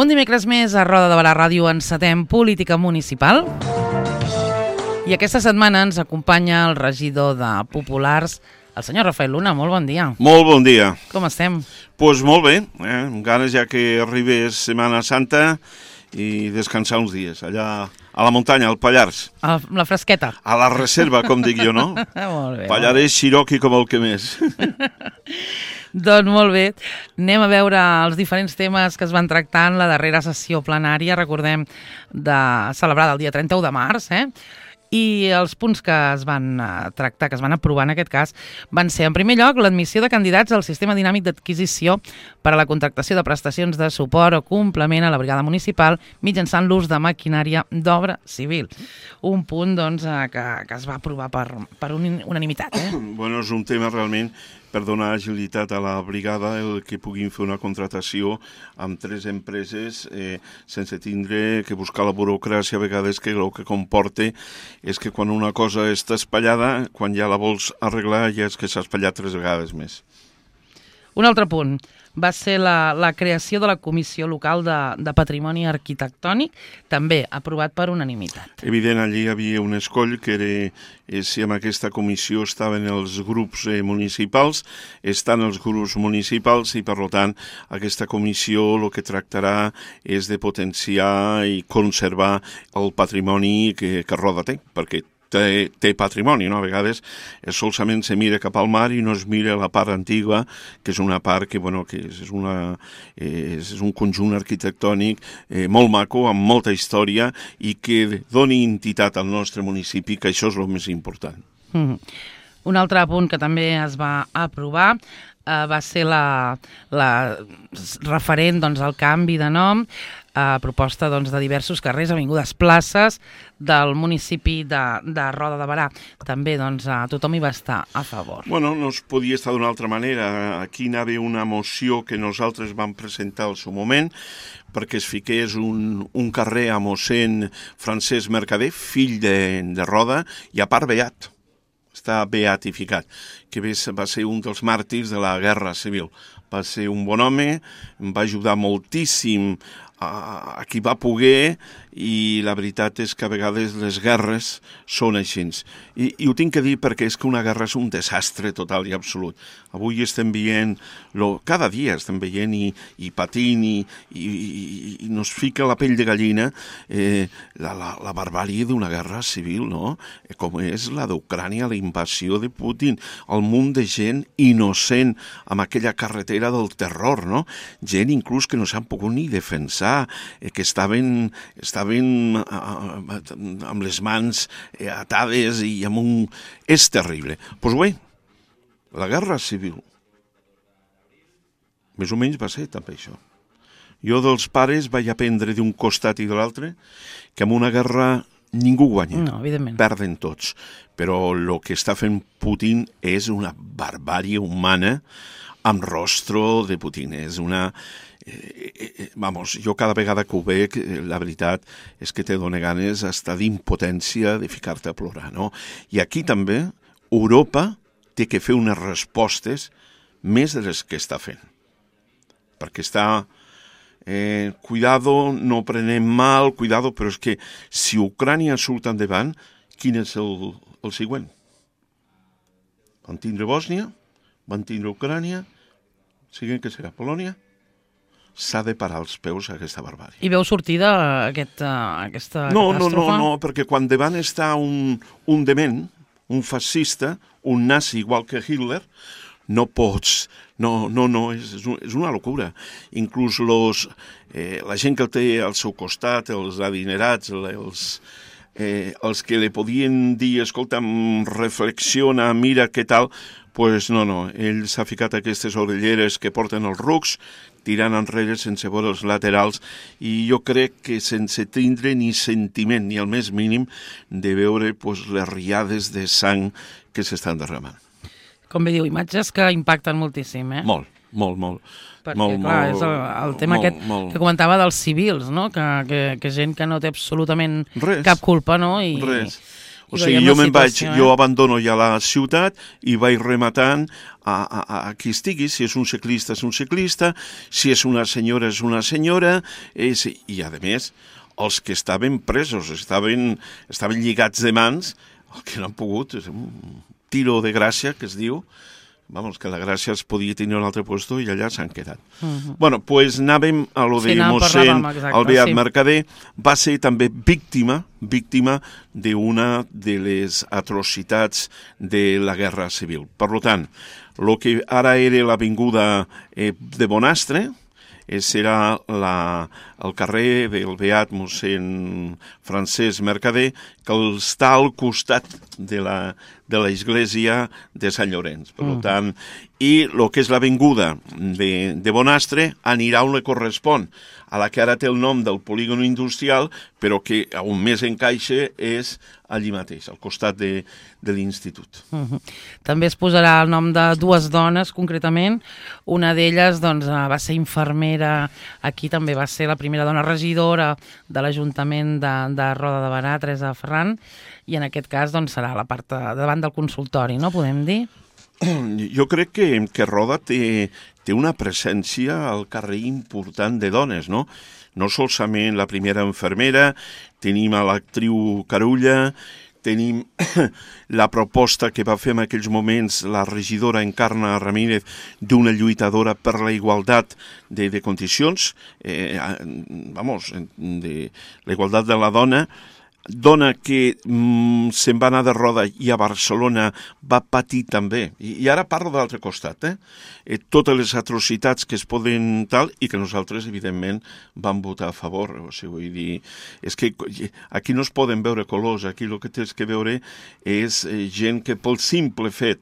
Un dimecres més a Roda de Barà Ràdio encetem política municipal. I aquesta setmana ens acompanya el regidor de Populars, el senyor Rafael Luna. Molt bon dia. Molt bon dia. Com estem? Doncs molt bé, amb ganes ja que arribés Setmana Santa i descansar uns dies, allà a la muntanya, al Pallars. A la fresqueta. A la reserva, com dic jo, no? Molt bé. Pallarès, Xiroqui, com el que més. Doncs molt bé, anem a veure els diferents temes que es van tractar en la darrera sessió plenària, recordem, celebrada el dia 31 de març, i els punts que es van tractar, que es van aprovar en aquest cas, van ser, en primer lloc, l'admissió de candidats al sistema dinàmic d'adquisició per a la contractació de prestacions de suport o complement a la brigada municipal mitjançant l'ús de maquinària d'obra civil. Un punt doncs, que es va aprovar per unanimitat. Bueno, és un tema realment per donar agilitat a la brigada, el que puguin fer una contratació amb 3 empreses sense tindre que buscar la burocràcia a vegades, que el que comporta és que quan una cosa està espallada, quan ja la vols arreglar ja és que s'ha espatllat 3 vegades més. Un altre punt va ser la creació de la Comissió Local de Patrimoni Arquitectònic, també aprovat per unanimitat. Evident, allí hi havia un escoll que era si en aquesta comissió estaven els grups municipals, estan els grups municipals i, per tant, aquesta comissió el que tractarà és de potenciar i conservar el patrimoni que Roda té, perquè té patrimoni, no? A vegades solament se mira cap al mar i no es mira la part antiga, que és una part que, bueno, que és un conjunt arquitectònic molt maco, amb molta història i que doni entitat al nostre municipi, que això és el més important. Un altre punt que també es va aprovar va ser la referent al canvi de nom, a proposta de diversos carrers, avingudes, places del municipi de Roda de Barà. També tothom hi va estar a favor. Bueno, no es podia estar d'una altra manera. Aquí hi havia una moció que nosaltres vam presentar al seu moment perquè es fiqués un carrer a mossèn Francesc Mercader, fill de Roda, i a part beat. Està beatificat, que va ser un dels màrtirs de la Guerra Civil. Va ser un bon home, em va ajudar moltíssim a qui va poder, i la veritat és que a vegades les guerres són així. I ho tinc que dir perquè és que una guerra és un desastre total i absolut. Avui estem veient, cada dia estem veient i patint i nos fica la pell de gallina la barbàrie d'una guerra civil, no? Com és la d'Ucrània, la invasió de Putin, el munt de gent innocent amb aquella carretera del terror, no? Gent inclús que no s'han pogut ni defensar, que estaven amb les mans atades i amb un... És terrible. Doncs bé, la guerra civil més o menys va ser també això. Jo dels pares vaig aprendre d'un costat i de l'altre que en una guerra ningú guanya. No, evidentment. Perden tots. Però el que està fent Putin és una barbàrie humana amb rostro de Putin. És una... jo cada vegada que ho veig, la veritat és que te dona ganes hasta d'impotència de ficar-te a plorar, no? I aquí també Europa té que fer unes respostes més de les que està fent. Perquè està... cuidado, no prenem mal, cuidado, però és que si Ucrània surt endavant, quin és el següent? Van tindre Bòsnia, van tindre Ucrània, siguen que serà Polònia. S'ha de parar els peus a aquesta barbària. I veu sortida aquesta catàstrofe? No, perquè quan davant està un dement, un fascista, un nazi igual que Hitler, no pots... No, és una locura. Inclús la gent que el té al seu costat, els adinerats, els que li podien dir, escolta'm, reflexiona, mira què tal, pues no, ell s'ha ficat aquestes orelleres que porten els rucs, tirant enrere sense veure els laterals, i jo crec que sense tindre ni sentiment, ni el més mínim, de veure les riades de sang que s'estan derramant. Com bé diu, imatges que impacten moltíssim, Molt. Perquè, clar, és el tema que comentava dels civils, no? Que gent que no té absolutament cap culpa, no? Res. O sigui, jo abandono ja la ciutat i vaig rematant a qui estigui, si és un ciclista, si és una senyora, i a més, els que estaven presos, estaven lligats de mans, el que no han pogut, és un tiro de gràcia, que es diu, vamos, que la gràcia es podia tenir en un altre puesto i allà s'han quedat. Bueno, pues anàvem a lo de mossèn Albeat Mercader, va ser també víctima d'una de les atrocitats de la Guerra Civil. Per tant, el que ara era l'avinguda de Bonastre, serà el carrer del Beat mossèn Francesc Mercader, que està al costat de l'església de Sant Llorenç. Per tant, i el que és l'avinguda de Bonastre anirà on li correspon, a la que ara té el nom del polígon industrial, però que on més encaixa és allí mateix, al costat de l'institut. També es posarà el nom de dues dones, concretament. Una d'elles va ser infermera, aquí també va ser la primera dona regidora de l'Ajuntament de Roda de Berà, Teresa Ferran, i en aquest cas serà a la part davant del consultori, no podem dir? Jo crec que Roda té una presència al carrer important de dones, no? No solament la primera infermera, tenim a l'actriu Carulla, tenim la proposta que va fer en aquells moments la regidora Encarna Ramírez d'una lluitadora per la igualtat de condicions, de la igualtat de la dona que se'n va anar de Roda i a Barcelona va patir també, i ara parlo de l'altre costat, totes les atrocitats que es poden tal, i que nosaltres, evidentment, vam votar a favor. O sigui, vull dir, és que aquí no es poden veure colors, aquí el que tens que veure és gent que pel simple fet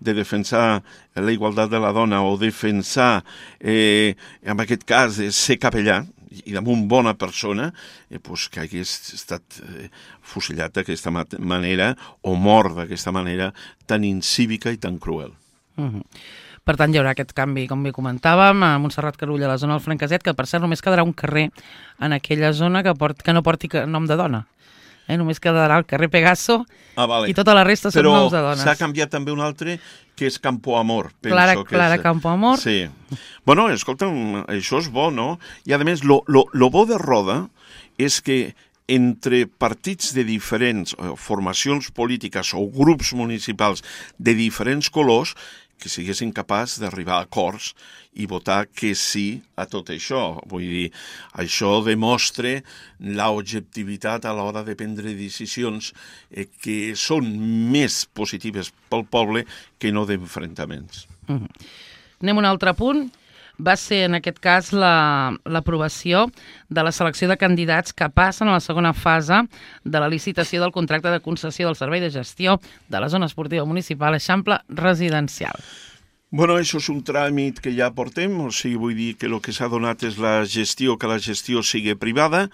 de defensar la igualtat de la dona o defensar, en aquest cas, ser capellà, i damunt bona persona, que hagués estat fusillat d'aquesta manera o mort d'aquesta manera tan incívica i tan cruel. Per tant, hi haurà aquest canvi, com bé comentàvem, a Montserrat Carulla, a la zona del Franqueset, que per cert només quedarà un carrer en aquella zona que no porti nom de dona. Només quedarà el carrer Pegaso i tota la resta són noms de dones. Però s'ha canviat també un altre, que és Campo Amor. Clara Campo Amor. Sí. Bueno, escolta'm, això és bo, no? I a més, lo bo de Roda és que entre partits de diferents formacions polítiques o grups municipals de diferents colors que siguessin capaços d'arribar a acords i votar que sí a tot això. Vull dir, això demostra l'objectivitat a l'hora de prendre decisions que són més positives pel poble que no d'enfrontaments. Anem a un altre punt. Va ser, en aquest cas, l'aprovació de la selecció de candidats que passen a la segona fase de la licitació del contracte de concessió del servei de gestió de la zona esportiva municipal Eixample Residencial. Bueno, això és un tràmit que ja portem, o sigui, vull dir que el que s'ha donat és que la gestió sigui privada.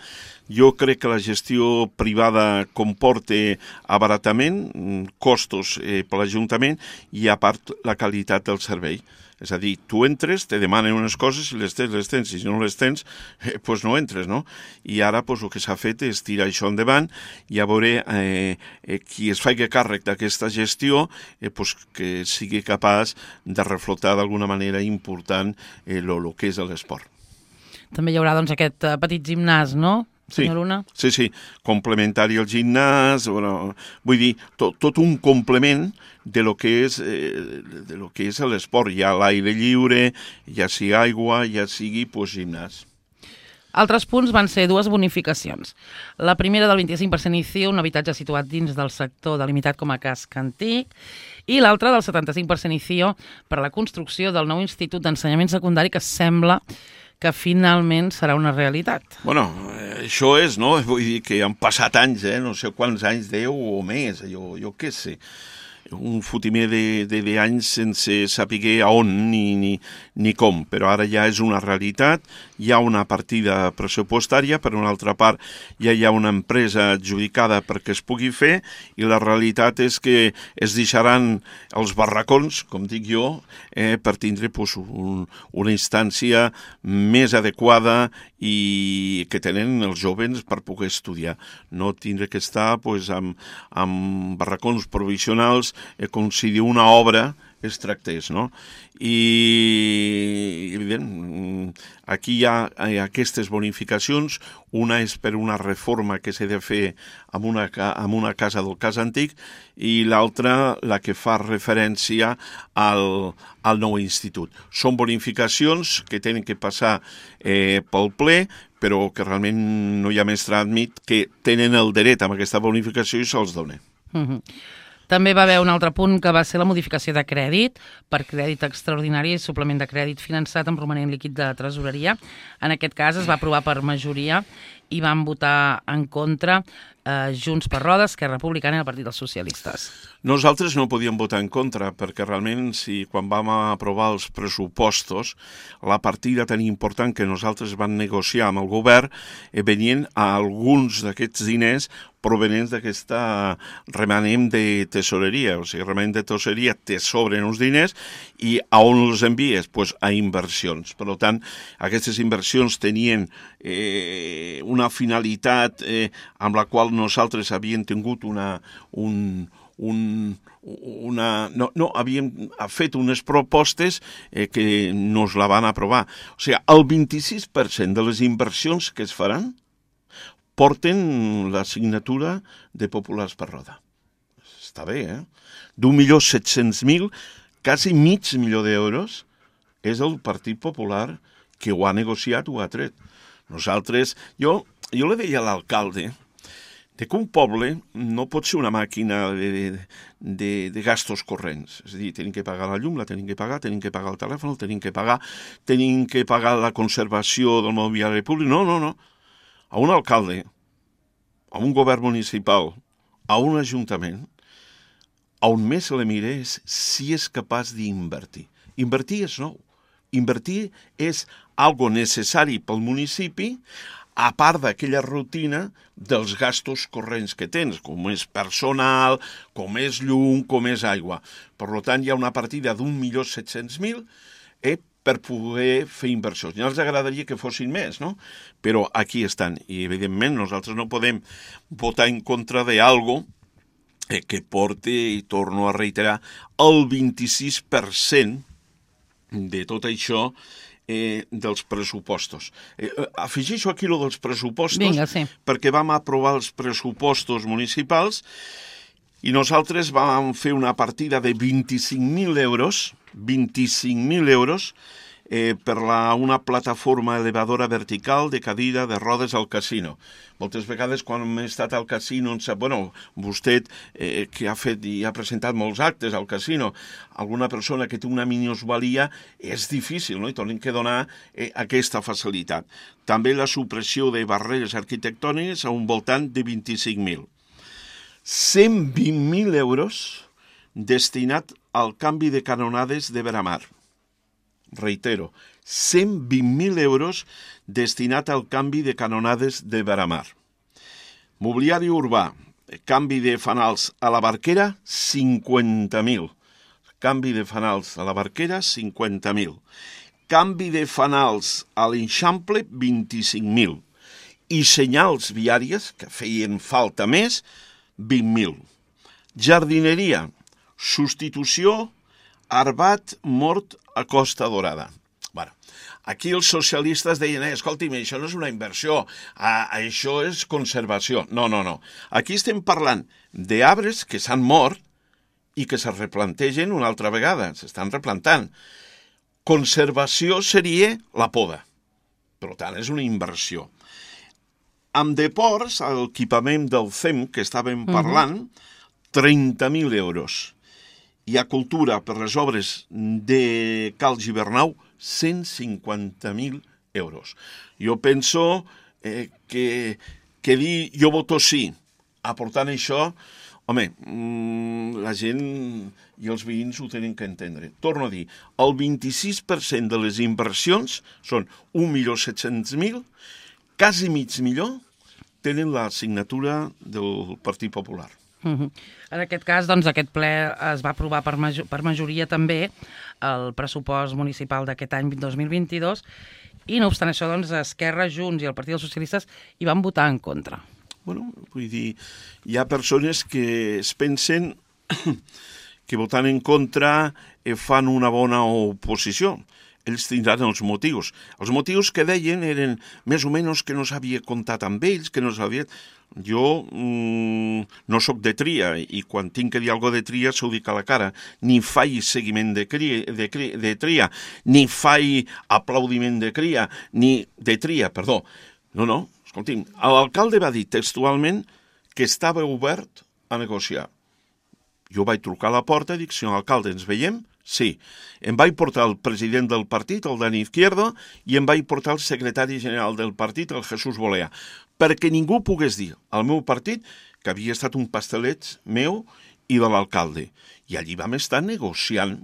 Jo crec que la gestió privada comporta abaratament, costos per l'Ajuntament i, a part, la qualitat del servei. És a dir, tu entres, te demanen unes coses, si les tens, si no les tens, doncs no entres, no? I ara el que s'ha fet és tirar això endavant i a veure qui es faci càrrec d'aquesta gestió que sigui capaç de reflotar d'alguna manera important el que és l'esport. També hi haurà aquest petit gimnàs, no? Sí, complementari al gimnàs, vull dir, tot un complement de lo que és l'esport. Hi ha l'aire lliure, ja sigui aigua, ja sigui gimnàs. Altres punts van ser dues bonificacions. La primera del 25% ICIO, un habitatge situat dins del sector delimitat com a casc antic, i l'altra del 75% ICIO per a la construcció del nou Institut d'Ensenyament Secundari que sembla que finalment serà una realitat. Bueno, això és, no? Vull dir que han passat anys, no sé quants anys, 10 o més, jo què sé. un fotimer d'anys sense saber a on ni com, però ara ja és una realitat, hi ha una partida pressupostària, per una altra part ja hi ha una empresa adjudicada perquè es pugui fer, i la realitat és que es deixaran els barracons, com dic jo, per tindre una instància més adequada i que tenen els joves per poder estudiar. No tindre que estar amb barracons provisionals com si d'una obra es tractés, no? I, evident, aquí hi ha aquestes bonificacions. Una és per una reforma que s'ha de fer en una casa del cas antic, i l'altra la que fa referència al nou institut. Són bonificacions que tenen que passar pel ple, però que realment no hi ha més tràmit, que tenen el dret amb aquesta bonificació i se'ls dona. També va haver un altre punt que va ser la modificació de crèdit per crèdit extraordinari i suplement de crèdit finançat amb romanent líquid de tresoreria. En aquest cas es va aprovar per majoria i van votar en contra Junts per Roda, Esquerra Republicana i el Partit dels Socialistes. Nosaltres no podíem votar en contra perquè realment quan vam aprovar els pressupostos, la partida tan important que nosaltres vam negociar amb el govern venien a alguns d'aquests diners provenents d'aquesta remanent de tesoreria. O sigui, remanent de tesoreria te sobren uns diners i a on els envies? Pues a inversions. Per tant, aquestes inversions tenien una finalitat amb la qual nosaltres havíem tingut havíem fet unes propostes que nos la van aprovar. O sigui, el 26% de les inversions que es faran porten la signatura de Populars per Roda. Està bé, d'1.700.000, quasi mig milió d'euros, és el Partit Popular que ho ha negociat, ho ha tret. Nosaltres, jo le deia a l'alcalde que un poble no pot ser una màquina de gastos corrents. És a dir, tenim que pagar la llum, la tenim que pagar el telèfon, tenim que pagar la conservació del mobiliari públic. No. A un alcalde, a un govern municipal, a un ajuntament, on més se li mira és si és capaç d'invertir. Invertir és nou. Invertir és algo necessari pel municipi, a part d'aquella rutina dels gastos corrents que tens, com és personal, com és llum, com és aigua. Per tant, hi ha una partida d'1.700.000 per poder fer inversions. Ja els agradaria que fossin més, no? Però aquí estan. I, evidentment, nosaltres no podem votar en contra d'algo que porta, i torno a reiterar, el 26% de tot això dels pressupostos. Afegeixo aquí lo dels pressupostos. Vinga, sí. Perquè vam aprovar els pressupostos municipals i nosaltres vam fer una partida de 25.000 euros per una plataforma elevadora vertical de cadira de rodes al casino. Moltes vegades quan hem estat al casino, vostè que ha fet i ha presentat molts actes al casino, alguna persona que té una minusvalia, és difícil, no? I tenim que donar aquesta facilitat. També la supressió de barreres arquitectòniques a un voltant de 25.000. 120.000 euros destinat al canvi de canonades de Veramar. Reitero, 120.000 euros destinat al canvi de canonades de Veramar. Mobiliari urbà, canvi de fanals a la Barquera, 50.000. Canvi de fanals a la Barquera, 50.000. Canvi de fanals a l'Eixample, 25.000. I senyals viàries, que feien falta més, 20.000. Jardineria, substitució, arbat mort a Costa Dorada. Bueno, aquí els socialistes deien, escolti'm, això no és una inversió, això és conservació. No. Aquí estem parlant d'arbres que s'han mort i que se replantegen una altra vegada, s'estan replantant. Conservació seria la poda. Per tant, és una inversió. Amb deports, l'equipament del CEM que estàvem parlant, 30.000 euros. I a cultura, per les obres de Cal Gibernau, 150.000 euros. Jo penso que dir jo voto sí, aportant això, Home, la gent i els veïns ho tenen que entendre. Torno a dir, el 26% de les inversions són 1.700.000, quasi mig milió tenen la signatura del Partit Popular. En aquest cas, doncs, aquest ple es va aprovar per majoria també el pressupost municipal d'aquest any 2022 i, no obstant això, doncs, Esquerra, Junts i el Partit dels Socialistes hi van votar en contra. Bueno, vull dir, hi ha persones que es pensen que votant en contra fan una bona oposició. Ells tindran els motius. Els motius que deien eren més o menys que no s'havia comptat amb ells, que no s'havia... Jo no sóc de tria i quan tinc que dir alguna de tria s'ho dic a la cara. Ni faig seguiment de tria, ni faig aplaudiment de tria, perdó. No, escolti'm, l'alcalde va dir textualment que estava obert a negociar. Jo vaig trucar a la porta i dic, senyor alcalde, ens veiem? Sí. Em vaig portar el president del partit, el Dani Izquierdo, i em vaig portar el secretari general del partit, el Jesús Bolea, perquè ningú pogués dir al meu partit que havia estat un pastelet meu i de l'alcalde. I allí vam estar negociant.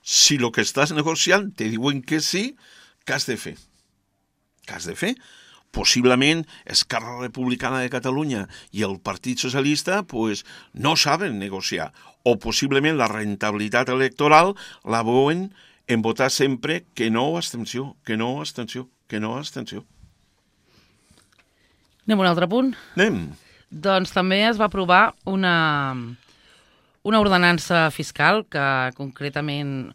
Si el que estàs negociant te diuen que sí, què has de fer? Què has de fer? Possiblement Esquerra Republicana de Catalunya i el Partit Socialista no saben negociar. O possiblement la rentabilitat electoral la veuen en votar sempre que no abstenció, que no abstenció, que no abstenció. Anem a un altre punt? Anem. Doncs també es va aprovar una ordenança fiscal que concretament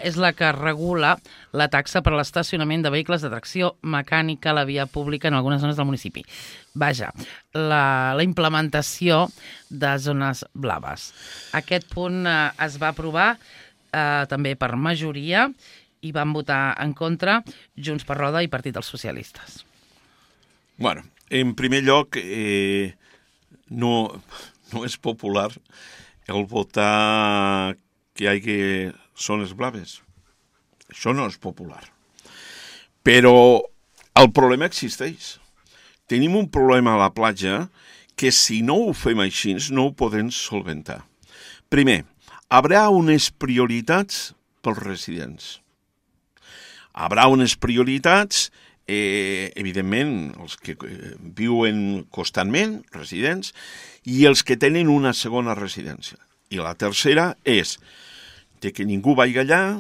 és la que regula la taxa per a l'estacionament de vehicles de tracció mecànica a la via pública en algunes zones del municipi. Vaja, la implementació de zones blaves. Aquest punt es va aprovar també per majoria i van votar en contra Junts per Roda i Partit dels Socialistes. Bueno, en primer lloc, no és popular el votar que hi hagi zones blaves. Això no és popular. Però el problema existeix. Tenim un problema a la platja que si no ho fem així no ho podem solventar. Primer, hi haurà unes prioritats pels residents. Hi haurà unes prioritats, evidentment, els que viuen constantment, residents, i els que tenen una segona residència. I la tercera és que ningú vagi allà,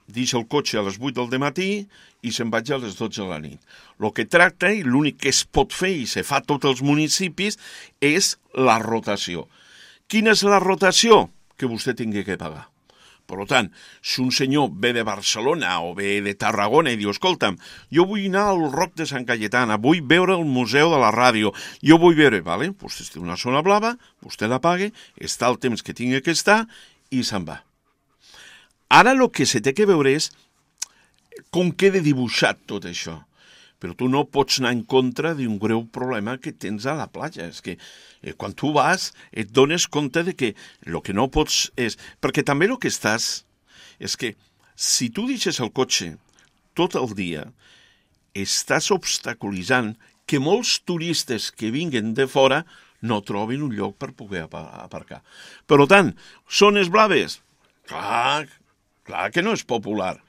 deixa el cotxe a les 8 del matí i se'n vaig a les 12 de la nit. El que tracta i l'únic que es pot fer i se fa a tots els municipis és la rotació. Quina és la rotació? Que vostè tingui que pagar. Per tant, si un senyor ve de Barcelona o ve de Tarragona i diu, escolta'm, jo vull anar al Roc de Sant Cayetana, vull veure el Museu de la Ràdio, jo vull veure, vale, vostè té una zona blava, vostè la paga, està el temps que tingui que estar i se'n va. Ara el que se té que veure és com queda dibuixat tot això. Però tu no pots anar en contra d'un greu problema que tens a la platja. És que quan tu vas et dones compte de que el que no pots és... Perquè també el que estàs és que si tu deixes el cotxe tot el dia, estàs obstaculitzant que molts turistes que vinguen de fora no trobin un lloc per poder aparcar. Per tant, zones blaves? Clar que no és popular.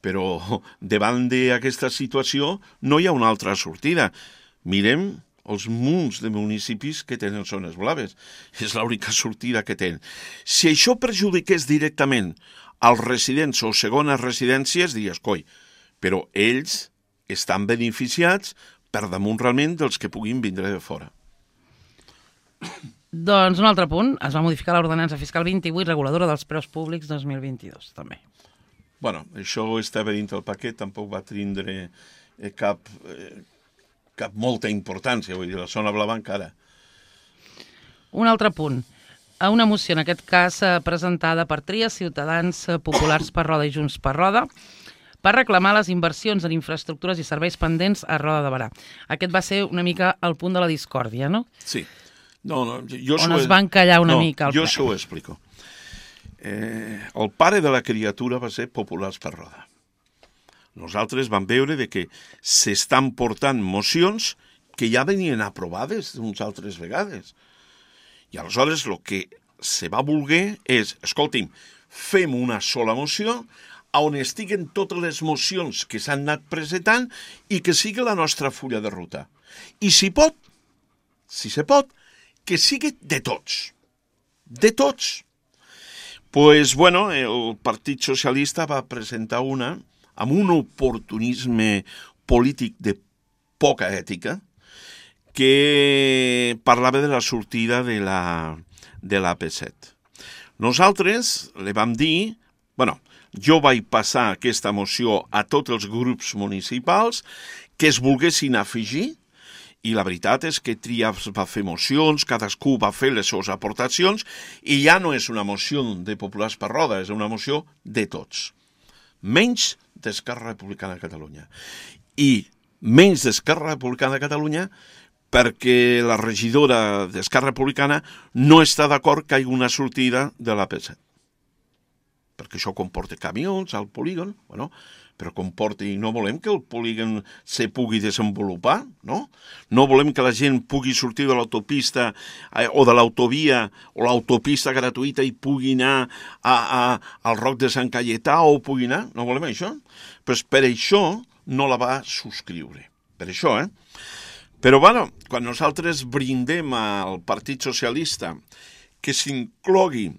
Però davant d'aquesta situació no hi ha una altra sortida. Mirem els munts de municipis que tenen zones blaves. És l'única sortida que tenen. Si això perjudiqués directament als residents o segones residències, diries, coi, però ells estan beneficiats per damunt realment dels que puguin vindre de fora. Doncs un altre punt, es va modificar l'ordenança fiscal 28 reguladora dels preus públics 2022, també. Bueno, això estava dins del paquet, tampoc va tindre cap molta importància, vull dir, la zona blava encara. Un altre punt, una moció, en aquest cas presentada per Tria, Ciutadans Populars per Roda i Junts per Roda, per reclamar les inversions en infraestructures i serveis pendents a Roda de Berà. Aquest va ser una mica el punt de la discòrdia, no? Sí. On es va encallar una mica el ple. Jo s'ho explico. El pare de la criatura va ser Populars per Roda. Nosaltres vam veure que s'estan portant mocions que ja venien aprovades d'unes altres vegades. I aleshores el que se va voler és, escolti'm, fem una sola moció on estiguen totes les mocions que s'han anat presentant i que sigui la nostra fulla de ruta. I si se pot, que sigui de tots. De tots. Pues, bueno, el Partit Socialista va presentar una amb un oportunisme polític de poca ètica que parlava de la sortida de l'AP7. Nosaltres li vam dir, bueno, jo vaig passar aquesta moció a tots els grups municipals que es volguessin afegir i la veritat és que Trias va fer mocions, cadascú va fer les seves aportacions i ja no és una moció de Populars per Roda, és una moció de tots. Menys d'Esquerra Republicana de Catalunya. I menys d'Esquerra Republicana de Catalunya perquè la regidora d'Esquerra Republicana no està d'acord que hi hagi una sortida de l'AP7. Perquè això comporta camions al polígon, bueno, però comporta i no volem que el polígon se pugui desenvolupar, no? No volem que la gent pugui sortir de l'autopista o de l'autovia o l'autopista gratuïta i pugui anar al Roc de Sant Cayetà o pugui anar, no volem això? Però per això no la va subscriure, per això, Però, bueno, quan nosaltres brindem al Partit Socialista que s'inclogui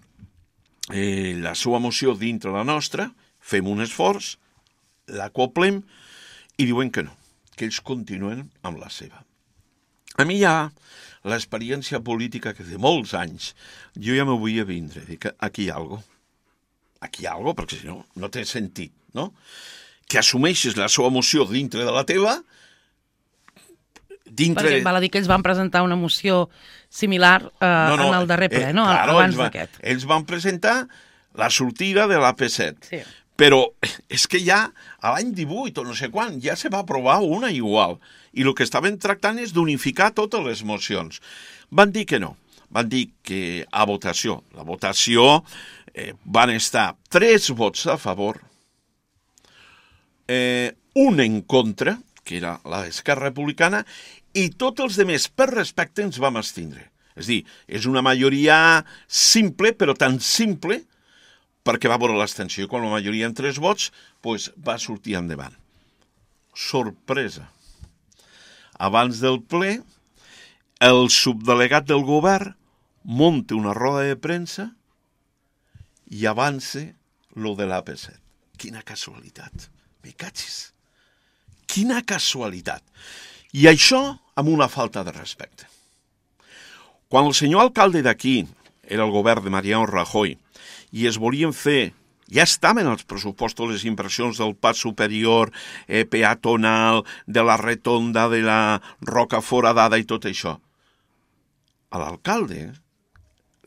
la seva moció dintre la nostra, fem un esforç, l'acoplem i diuen que no, que ells continuen amb la seva. A mi ja l'experiència política que de molts anys jo ja m'ho vull vindre, dic, aquí hi ha alguna cosa. Aquí hi ha alguna cosa, perquè si no, no té sentit, no? Que assumeixes la seva moció dintre de la teva, Perquè val a dir que ells van presentar una moció similar en el darrer ple, no? Claro, abans d'aquest. Ells van presentar la sortida de l'AP7. Sí. Però és que ja a l'any 18 o no sé quan ja se va aprovar una igual. I el que estaven tractant és d'unificar totes les mocions. Van dir que no. Van dir que a votació. La votació van estar 3 vots a favor, un en contra, que era la d'Esquerra Republicana, i tots els altres, per respecte, ens vam abstindre. És a dir, és una majoria simple, però tan simple, perquè va veure l'abstenció. Quan la majoria en 3 vots, doncs va sortir endavant. Sorpresa. Abans del ple, el subdelegat del govern munta una roda de premsa i avança lo de l'AP7. Quina casualitat. Me catxis. Quina casualitat. I això amb una falta de respecte. Quan el senyor alcalde d'aquí era el govern de Mariano Rajoy i es volien fer, ja estaven els pressupostos les inversions del pas superior, peatonal, de la retonda, de la roca foradada i tot això. A l'alcalde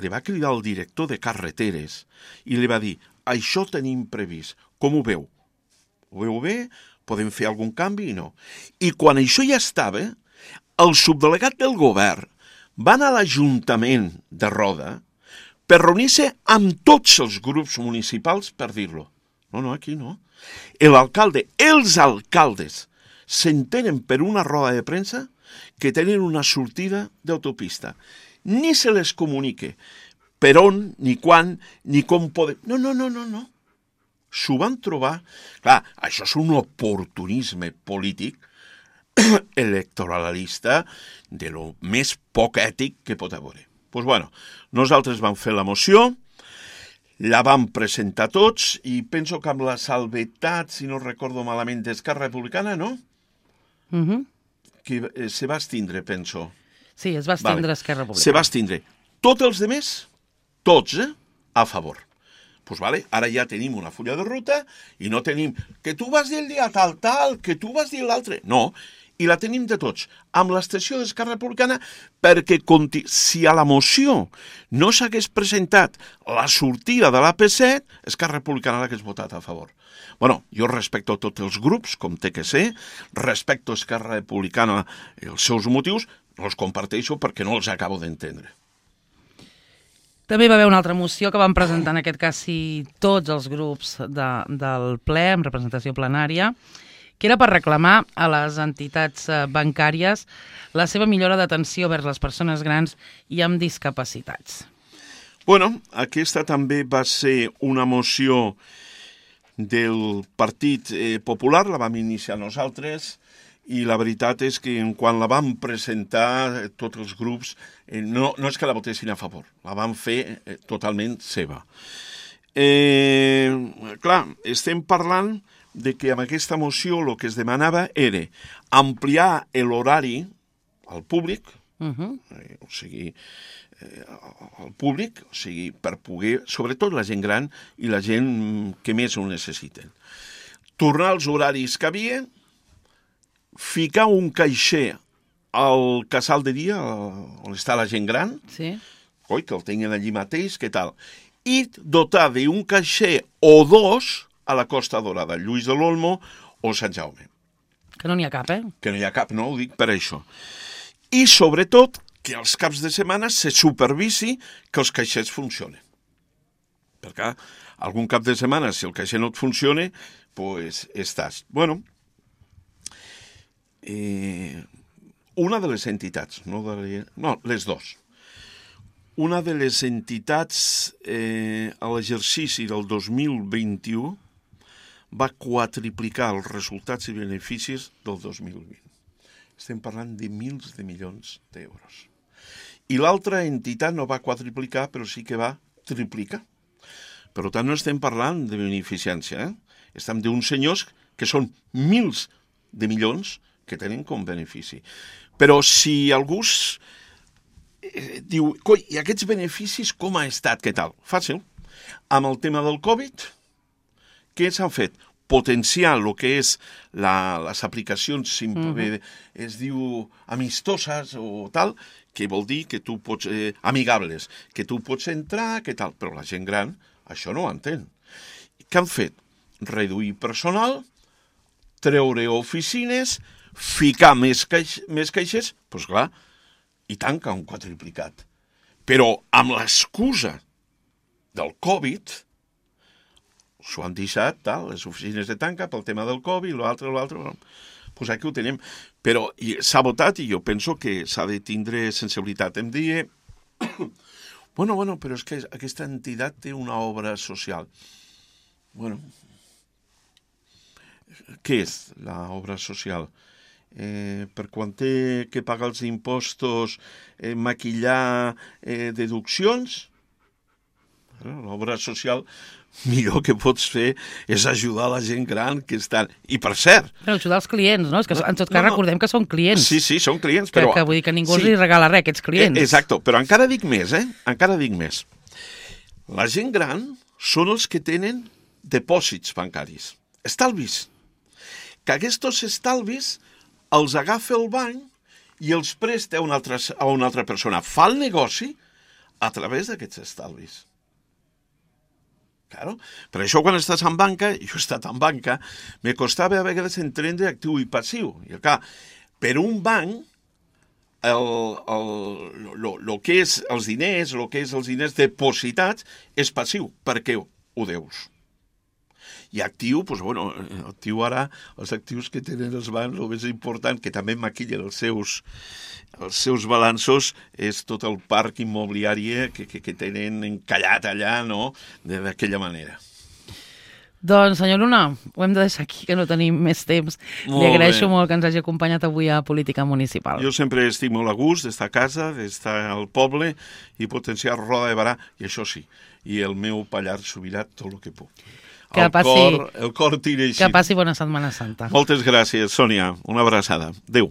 li va cridar el director de carreteres i li va dir, això tenim previst, com ho veu? Ho veu bé? Podem fer algun canvi i no. I quan això ja estava, el subdelegat del govern va anar a l'Ajuntament de Roda per reunir-se amb tots els grups municipals per dir-lo. No, aquí no. L'alcalde, els alcaldes, s'entenen per una roda de premsa que tenen una sortida d'autopista. Ni se les comunique per on, ni quan, ni com poden... No. S'ho van trobar... Clar, això és un oportunisme polític electoralista de lo més poc ètic que pot haver. Doncs bueno, nosaltres vam fer la moció, la vam presentar tots i penso que amb la salvetat, si no recordo malament, d'Esquerra Republicana, no? Que se va estindre, penso. Sí, es va estindre Esquerra Republicana. Se va estindre. Tots els demés, tots, a favor. Doncs vale, ara ja tenim una fulla de ruta i no tenim que tu vas dir el dia tal, que tu vas dir l'altre. No, i la tenim de tots, amb l'abstenció d'Esquerra Republicana, perquè si a la moció no s'hagués presentat la sortida de l'AP7, Esquerra Republicana l'hagués votat a favor. Bueno, jo respecto tots els grups, com té que ser, respecto Esquerra Republicana els seus motius, no els comparteixo perquè no els acabo d'entendre. També va haver una altra moció que van presentar en aquest cas tots els grups del ple, amb representació plenària, que era per reclamar a les entitats bancàries la seva millora d'atenció vers les persones grans i amb discapacitats. Bueno, aquesta també va ser una moció del Partit Popular, la vam iniciar nosaltres, i la veritat és que quan la vam presentar tots els grups, no és que la votessin a favor, la vam fer totalment seva. Clar, estem parlant de que amb aquesta moció el que es demanava era ampliar l'horari al públic, o sigui, al públic, o sigui, per poder, sobretot la gent gran i la gent que més ho necessiten. Tornar als horaris que havia, ficar un caixer al casal de dia, on està la gent gran, Sí. que el tinguin allí mateix, què tal? I dotar d'un caixer o dos a la Costa Dorada, Lluís de l'Olmo o Sant Jaume. Que no n'hi ha cap, Que no hi ha cap, no ho dic per això. I, sobretot, que als caps de setmana se supervisi que els caixers funcionen. Perquè algun cap de setmana, si el caixer no et funciona, pues estàs. Bueno, una de les entitats, les dos. Una de les entitats a l'exercici del 2021 va quadriplicar els resultats i beneficis del 2020. Estem parlant de milers de milions d'euros. I l'altra entitat no va quadriplicar, però sí que va triplicar. Per tant, no estem parlant de beneficència, estem d'uns senyors que són milers de milions que tenen com benefici. Però si algú diu, coi, i aquests beneficis com ha estat, què tal? Fàcil. Amb el tema del Covid, què s'han fet? Potenciar el que és les aplicacions, es diu amistoses o tal, que vol dir que tu pots, amigables, que tu pots entrar, què tal? Però la gent gran això no ho entén. Què han fet? Reduir personal, treure oficines, ficar més caixers, doncs clar, i tant que han quadriplicat. Però amb l'excusa del Covid, s'ho han deixat, tal, les oficines de tanca pel tema del Covid, l'altre, doncs aquí ho tenim. Però s'ha votat i jo penso que s'ha de tindre sensibilitat. Em deia, bueno, però és que aquesta entitat té una obra social. Bueno, què és l'obra social? Per quan té que pagar els impostos, maquillar deduccions, l'obra social millor que pots fer és ajudar la gent gran que estan... I per cert... Però ajudar els clients, no? És que en tot cas recordem que són clients. Sí, són clients, però... Que vull dir que ningú els regala res, aquests clients. Exacte, però encara dic més, encara dic més. La gent gran són els que tenen depòsits bancaris, estalvis. Que aquests estalvis els agafa el banc i els presta a una altra persona. Fa el negoci a través d'aquests estalvis. Claro. Per això quan estàs en banca, jo he estat en banca, me costava a vegades entendre actiu i passiu. I clar, per un banc, el que és els diners depositats és passiu, perquè ho deus. I actiu, doncs, bueno, actiu ara, els actius que tenen els bancs, el més important, que també maquillen els seus balanços, és tot el parc immobiliari que tenen encallat allà, no?, d'aquella manera. Doncs, senyor Luna, ho hem de deixar aquí, que no tenim més temps. Li agraeixo molt que ens hagi acompanyat avui a Política Municipal. Jo sempre estic molt a gust d'estar a casa, d'estar al poble i potenciar Roda de Barà, i això sí, i el meu Pallars Sobirà tot el que puc. El cor tira així. Que passi bona Setmana Santa. Moltes gràcies, Sònia. Una abraçada. Adéu.